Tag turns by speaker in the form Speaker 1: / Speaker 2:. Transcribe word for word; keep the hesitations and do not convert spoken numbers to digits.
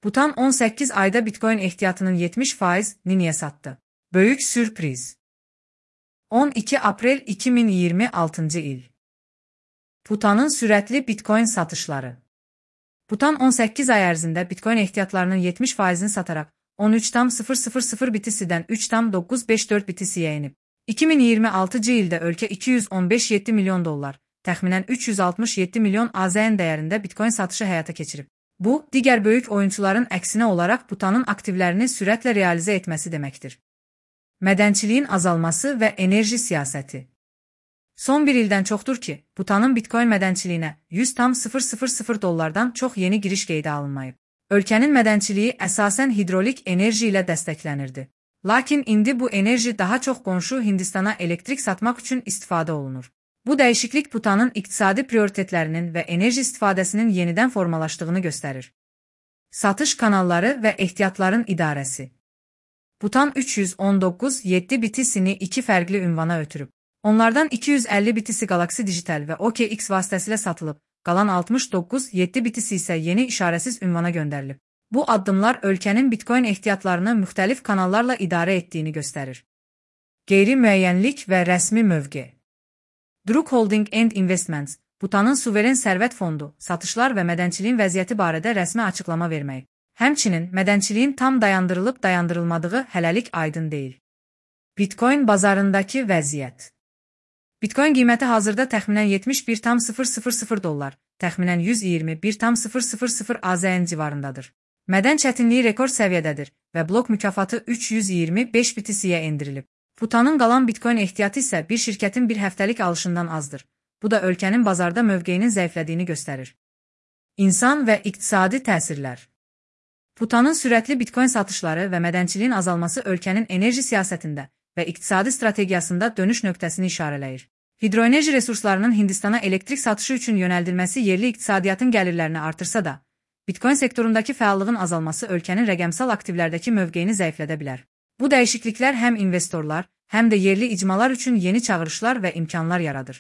Speaker 1: Butan on səkkiz ayda Bitcoin ehtiyatının yetmiş faizini niyə satdı? Böyük sürpriz. on iki aprel iki min iyirmi altıncı il. Butanın sürətli Bitcoin satışları. Butan on səkkiz ay ərzində Bitcoin ehtiyatlarının yetmiş faizini sataraq on üç tam sıfır sıfır sıfır bitisidən üç tam doqquz beş dörd bitisiyə enib. iki min iyirmi altıncı ildə ölkə iki yüz on beş nöqtə yeddi milyon dollar, təxminən üç yüz altmış yeddi milyon A Z N dəyərində Bitcoin satışı həyata keçirib. Bu, digər böyük oyunçuların əksinə olaraq Butanın aktivlərini sürətlə realizə etməsi deməkdir. Mədənçiliyin azalması və enerji siyasəti. Son bir ildən çoxdur ki, Butanın Bitcoin mədənçiliyinə yüz tam sıfır sıfır sıfır dollardan çox yeni giriş qeydə alınmayıb. Ölkənin mədənçiliyi əsasən hidrolik enerji ilə dəstəklənirdi. Lakin indi bu enerji daha çox qonşu Hindistana elektrik satmaq üçün istifadə olunur. Bu dəyişiklik Butanın iqtisadi prioritetlərinin və enerji istifadəsinin yenidən formalaşdığını göstərir. Satış kanalları və ehtiyatların idarəsi. Butan üç yüz on doqquz nöqtə yeddi bitisini iki fərqli ünvana ötürüb. Onlardan iki yüz əlli bitisi Galaxy Digital və O K X vasitəsilə satılıb, qalan altmış doqquz nöqtə yeddi bitisi isə yeni işarəsiz ünvana göndərilib. Bu addımlar ölkənin Bitcoin ehtiyatlarını müxtəlif kanallarla idarə etdiyini göstərir. Qeyri-müəyyənlik və rəsmi mövqe. Druk Holding and Investments, Butanın suveren sərvət fondu, satışlar və mədənçiliyin vəziyyəti barədə rəsmi açıqlama vermək. Həmçinin, mədənçiliyin tam dayandırılıb dayandırılmadığı hələlik aydın deyil. Bitcoin bazarındakı vəziyyət. Bitcoin qiyməti hazırda təxminən yetmiş bir tam sıfır sıfır sıfır dollar, təxminən yüz iyirmi bir tam sıfır sıfır sıfır A Z N civarındadır. Mədən çətinliyi rekord səviyyədədir və blok mükafatı üç yüz iyirmi beş bitisiyə endirilib. Butanın qalan Bitcoin ehtiyatı isə bir şirkətin bir həftəlik alışından azdır. Bu da ölkənin bazarda mövqeyinin zəiflədiyini göstərir. İnsan və iqtisadi təsirlər. Butanın sürətli Bitcoin satışları və mədənçiliyin azalması ölkənin enerji siyasətində və iqtisadi strategiyasında dönüş nöqtəsini işarələyir. Hidroenerji resurslarının Hindistana elektrik satışı üçün yönəldilməsi yerli iqtisadiyyatın gəlirlərini artırsa da, Bitcoin sektorundakı fəallığın azalması ölkənin rəqəmsal aktivlərdəki mövqeyini zəiflədə bilər. Bu dəyişikliklər həm investorlar, həm də yerli icmalar üçün yeni çağırışlar və imkanlar yaradır.